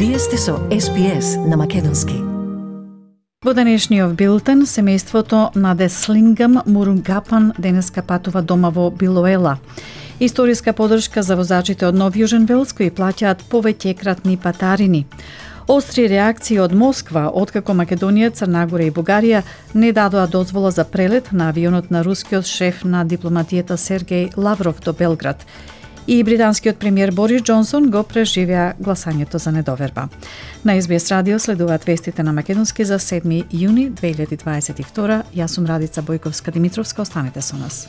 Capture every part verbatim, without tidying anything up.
Вие сте со Ес Би Ес на македонски. Во денешниот билтен, семејството на Деслингам Мурунгапан денеска патува дома во Билоела. Историска подршка за возачите од Нов Јужен Велс кои плаќаат повеќекратни патарини. Остри реакции од Москва, откако Македонија, Црна Гора и Бугарија не дадоа дозвола за прелет на авионот на рускиот шеф на дипломатијата Сергеј Лавров до Белград. И британскиот премиер Борис Џонсон го преживеа гласањето за недоверба. На Ес Би Ес радио следуваат вестите на македонски за седми јуни две илјади дваесет и втора. Јас сум Радица Бојковска-Димитровска, останете со нас.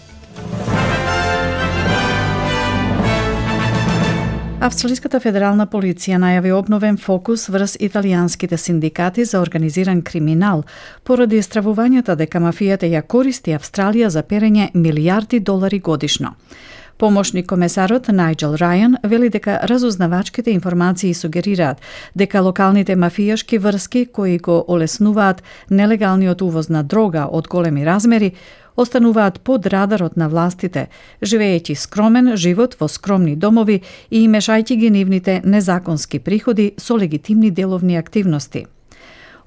Австралиската федерална полиција најави обновен фокус врз италијанските синдикати за организиран криминал поради стравувањата дека мафијата ја користи Австралија за перење милијарди долари годишно. Помошник комесарот Најџел Рајан вели дека разузнавачките информации сугерираат дека локалните мафијашки врски кои го олеснуваат нелегалниот увоз на дрога од големи размери остануваат под радарот на властите, живеејќи скромен живот во скромни домови и мешајќи ги нивните незаконски приходи со легитимни деловни активности.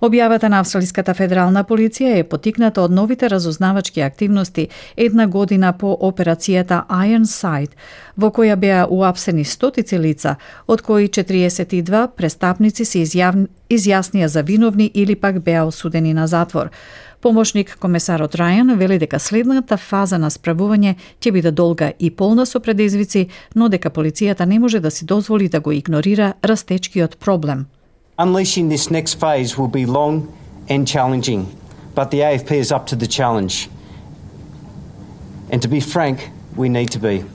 Објавата на Австралиската федерална полиција е потикната од новите разузнавачки активности една година по операцијата Ironside, во која беа уапсени стотици лица, од кои четириесет и два престапници се изјав... изјаснија за виновни или пак беа осудени на затвор. Помошник комесарот Рајан вели дека следната фаза на справување ќе биде долга и полна со предизвици, но дека полицијата не може да си дозволи да го игнорира растечкиот проблем. Unleashing this next phase will be long and challenging, but the A F P is up to the challenge. And to be frank, we need to be.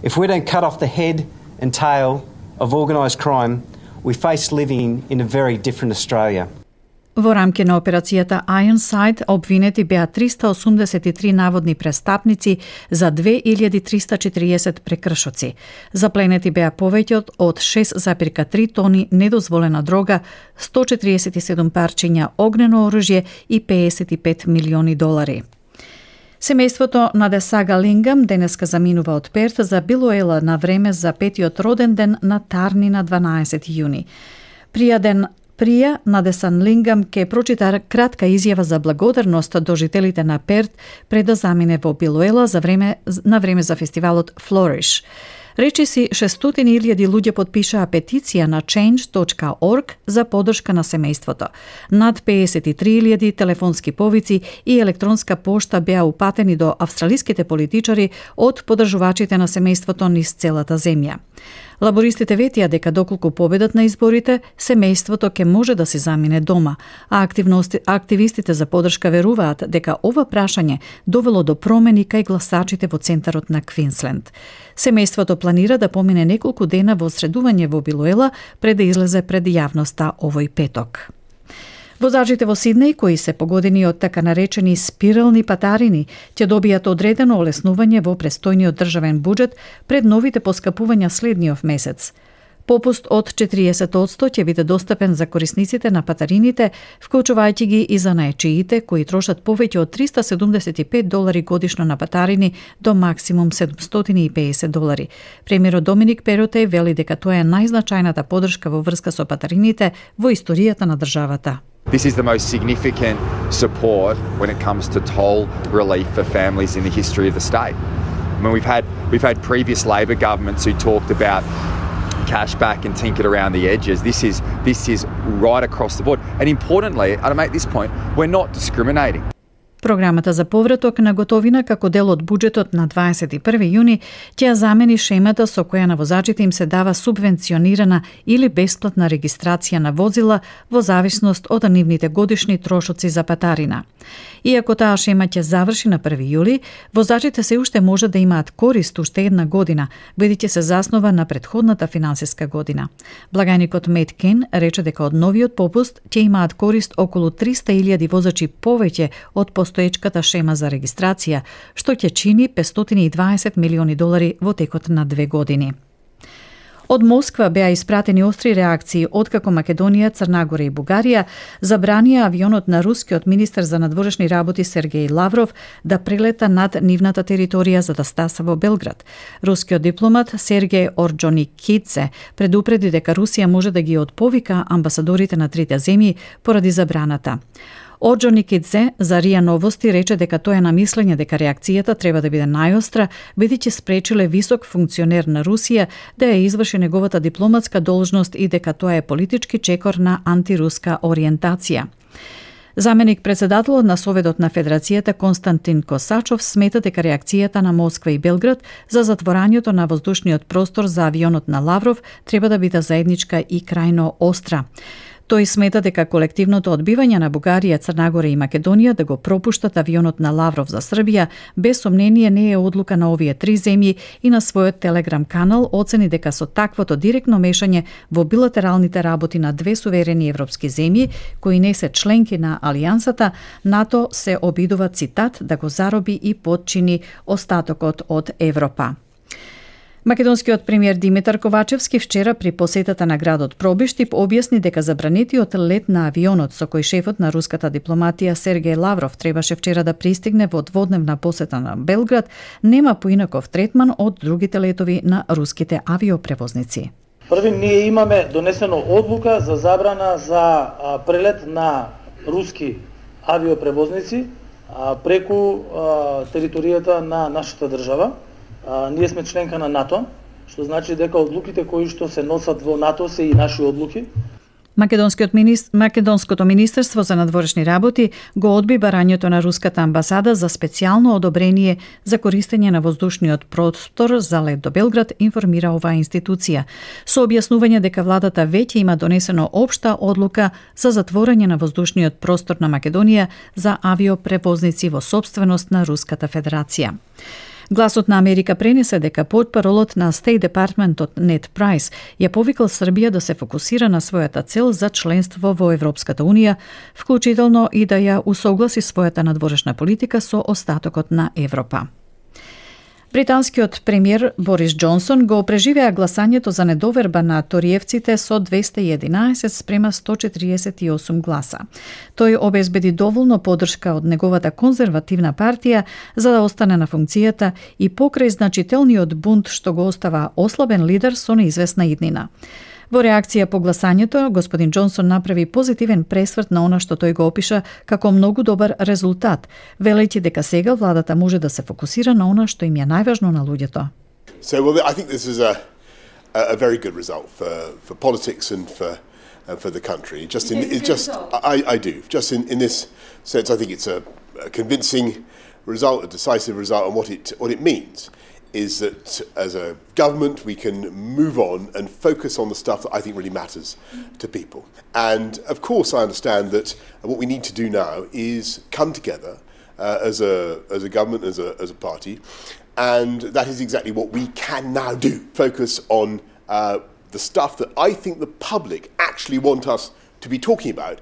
If we don't cut off the head and tail of organised crime, we face living in a very different Australia. Во рамки на операцијата Ironside обвинети беа триста осумдесет и три наводни престапници за две илјади триста четириесет прекршоци. Запленети беа повеќе од шест зарез три тони недозволена дрога, сто четириесет и седум парчиња огнено оружје и педесет и пет милиони долари. Семејството на Десага Лингам денеска заминува од Перт за Билоела на време за петиот роден ден на Тарни на дванаесети јуни. Пријаден Прија Надесан Лингам ке прочита кратка изјава за благодарност до жителите на Перт пред да замине во Билоела за време, на време за фестивалот Flourish. Речиси шестстотини илјади луѓе потпишаа петиција на change точка org за поддршка на семејството. Над педесет и три илјади телефонски повици и електронска пошта беа упатени до австралиските политичари од поддржувачите на семејството низ целата земја. Лабористите ветија дека доколку победат на изборите, семејството ќе може да се замине дома, а активистите за поддршка веруваат дека ова прашање довело до промени кај гласачите во центарот на Квинсленд. Семејството планира да помине неколку дена во средување во Билоела пред да излезе пред јавноста овој петок. Возачите во Сиднеј, кои се погодени од така наречени спирални патарини, ќе добијат одредено олеснување во престојниот државен буџет пред новите поскапувања следниот месец. Попуст од четириесет одсто ќе биде достапен за корисниците на патарините, вклучувајќи ги и за наечиите, кои трошат повеќе од триста седумдесет и пет долари годишно на патарини до максимум седумстотини и педесет долари. Премиерот Доминик Перотеј вели дека тоа е најзначајната поддршка во врска со патарините во историјата на државата. This is the most significant support when it comes to toll relief for families in the history of the state. I mean, we've had we've had previous Labor governments who talked about cash back and tinkered around the edges. This is this is right across the board. And importantly, and to make this point, we're not discriminating. Програмата за повраток на готовина како дел од буџетот на дваесет и први јуни ќе ја замени шемата со која на возачите им се дава субвенционирана или бесплатна регистрација на возила во зависност од нивните годишни трошоци за патарина. Иако таа шема ќе заврши на први јули, возачите се уште може да имаат корист уште една година, бидејќи се заснова на претходната финансиска година. Благајникот Мет Кен рече дека од новиот попуст ќе имаат корист околу триста илјади возачи повеќе од постоечката шема за регистрација, што ќе чини петстотини и дваесет милиони долари во текот на две години. Од Москва беа испратени остри реакции откако Македонија, Црнагора и Бугарија забранија авионот на рускиот министер за надворешни работи Сергеј Лавров да прелета над нивната територија за да стаса во Белград. Рускиот дипломат Сергеј Орџоникидзе предупреди дека Русија може да ги отповика амбасадорите на трите земји поради забраната. Орџоникидзе за РИА Новости рече дека тој е на мислење дека реакцијата треба да биде најостра, бидејќи спречиле висок функционер на Русија да ја изврши неговата дипломатска должност и дека тоа е политички чекор на антируска ориентација. Заменик председателот на Советот на Федерацијата Константин Косачов смета дека реакцијата на Москва и Белград за затворањето на воздушниот простор за авионот на Лавров треба да биде заедничка и крајно остра. Тој смета дека колективното одбивање на Бугарија, Црнагора и Македонија да го пропуштат авионот на Лавров за Србија, без сомнение не е одлука на овие три земји и на својот телеграм канал оцени дека со таквото директно мешање во билатералните работи на две суверени европски земји, кои не се членки на Алијансата, НАТО се обидува, цитат, да го зароби и подчини остатокот од Европа. Македонскиот премиер Димитар Ковачевски вчера при посетата на градот Пробиштип објасни дека забранетиот лет на авионот со кој шефот на руската дипломатија Сергеј Лавров требаше вчера да пристигне во дводневна посета на Белград нема поинаков третман од другите летови на руските авиопревозници. Први, ние имаме донесено одлука за забрана за а, прелет на руски авиопревозници а, преку а, територијата на нашата држава. А, ние сме членка на НАТО, што значи дека одлуките кои што се носат во НАТО се и наши одлуки. Македонскиот министр, Македонското министерство за надворешни работи го одби барањето на руската амбасада за специјално одобрение за користење на воздушниот простор за лет до Белград, информира оваа институција, со објаснување дека владата веќе има донесено општа одлука за затворање на воздушниот простор на Македонија за авиопревозници во сопственост на Руската Федерација. Гласот на Америка пренесе дека портпаролот на State Departmentот Нед Прайс ја повикал Србија да се фокусира на својата цел за членство во Европската Унија, вклучително и да ја усогласи својата надворешна политика со остатокот на Европа. Британскиот премиер Борис Џонсон го преживеа гласањето за недоверба на ториевците со двесте и единаесет спрема сто четириесет и осум гласа. Тој обезбеди доволно поддршка од неговата конзервативна партија за да остане на функцијата и покрај значителниот бунт што го остава ослабен лидер со неизвестна иднина. Во реакција по гласањето, господин Џонсон направи позитивен пресврт на она што тој го опиша како многу добар резултат, велејќи дека сега владата може да се фокусира на она што им е најважно на луѓето. So well, I think this is a a very good result for for politics and for uh, for the country. Just in it just I I do. Just in in this sense, I think it's a, a convincing result, a decisive result, and what it what it means is that as a government we can move on and focus on the stuff that I think really matters to people. And of course I understand that what we need to do now is come together uh, as a as a government, as a as a party, and that is exactly what we can now do. Focus on uh, the stuff that I think the public actually want us to be talking about.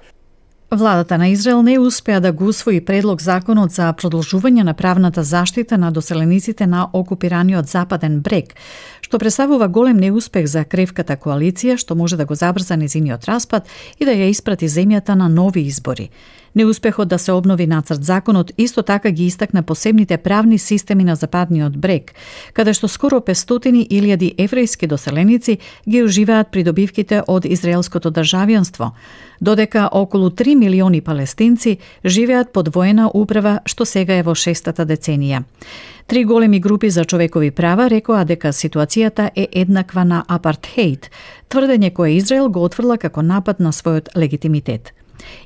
Владата на Израел не успеа да го усвои предлог законот за продолжување на правната заштита на доселениците на окупираниот Западен брег, што представува голем неуспех за кревката коалиција, што може да го забрза незиниот распад и да ја испрати земјата на нови избори. Неуспехот да се обнови нацрт законот исто така ги истакна посебните правни системи на Западниот брег, каде што скоро петстотини илјади еврејски доселеници ги уживаат придобивките од израелското државјанство, додека околу три милиони палестинци живеат под воена управа што сега е во шестата деценија. Три големи групи за човекови права рекоа дека ситуацијата е еднаква на апартхеид, тврдење кое Израел го отфрла како напад на својот легитимитет.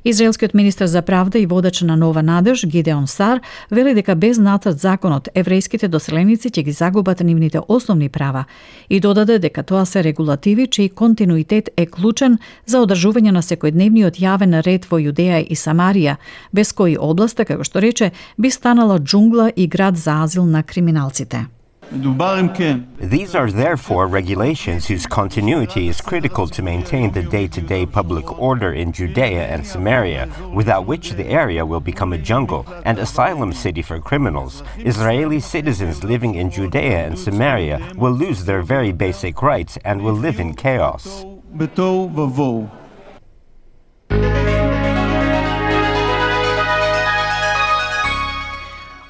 Израелскиот министер за правда и водач на Нова надеж Гидеон Сар вели дека без нацрт законот еврејските доселеници ќе ги загубат нивните основни права и додаде дека тоа се регулативи чиј континуитет е клучен за одржување на секојдневниот јавен ред во Јудеја и Самарија, без кои областа, како што рече, би станала џунгла и град за азил на криминалците. These are therefore regulations whose continuity is critical to maintain the day-to-day public order in Judea and Samaria, without which the area will become a jungle and asylum city for criminals. Israeli citizens living in Judea and Samaria will lose their very basic rights and will live in chaos.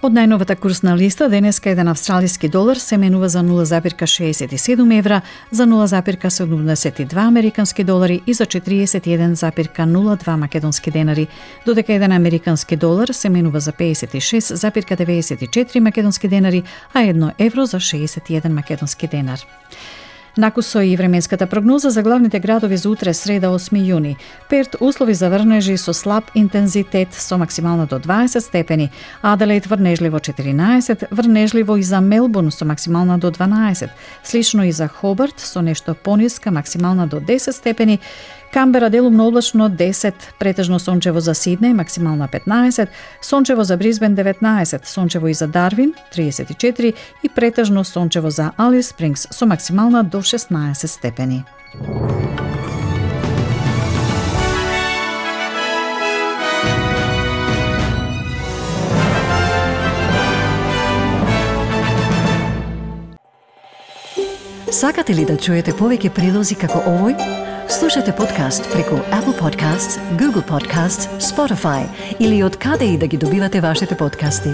Од најновата курсна листа, денеска еден австралиски долар се менува за нула зарез шеесет и седум евра, за нула зарез седумдесет и два американски долари и за четириесет и еден зарез нула два македонски денари, додека еден американски долар се менува за пеесет и шест зарез деветдесет и четири македонски денари, а едно евро за шеесет и еден македонски денар. Накусо и временската прогноза за главните градови за утре среда осми јуни. Перт услови за врнежи со слаб интензитет со максимално до дваесет степени, Аделаид врнежливо четиринаесет, врнежливо и за Мелбурн со максимална до дванаесет, слично и за Хобарт со нешто пониска максимална до десет степени, Камбера делумно облачно десет, претежно сончево за Сиднеј, максимална петнаесет, сончево за Брисбен деветнаесет, сончево и за Дарвин триесет и четири и претежно сончево за Алис Спрингс со максимална до шеснаесет степени. Сакате ли да чуете повеќе прилози како овој? Слушате подкаст преку Apple Podcasts, Google Podcasts, Spotify или од каде и да ги добивате вашите подкасти.